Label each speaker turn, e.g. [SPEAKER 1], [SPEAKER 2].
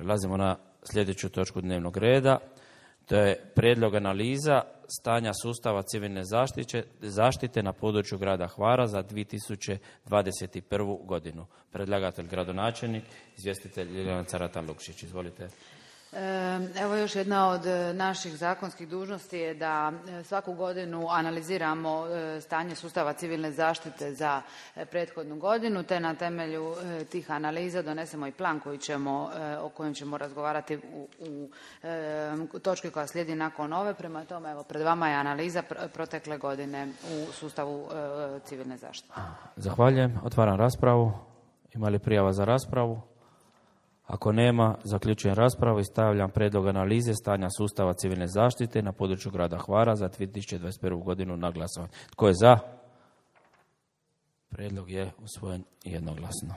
[SPEAKER 1] Prelazimo na sljedeću točku dnevnog reda. To je prijedlog analiza stanja sustava civilne zaštite na području grada Hvara za 2021. godinu. Predlagatelj gradonačelnik, izvjestitelj Ljiljana Carata-Lukšić. Izvolite.
[SPEAKER 2] Evo još jedna od naših zakonskih dužnosti je da svaku godinu analiziramo stanje sustava civilne zaštite za prethodnu godinu, te na temelju tih analiza donesemo i plan o kojem ćemo razgovarati u točki koja slijedi nakon ove. Prema tome, evo, pred vama je analiza protekle godine u sustavu civilne zaštite.
[SPEAKER 1] Zahvaljujem. Otvaram raspravu. Ima li prijava za raspravu? Ako nema, zaključujem raspravu i stavljam prijedlog analize stanja sustava civilne zaštite na području grada Hvara za 2021. godinu na glasovanje. Tko je za? Prijedlog je usvojen jednoglasno.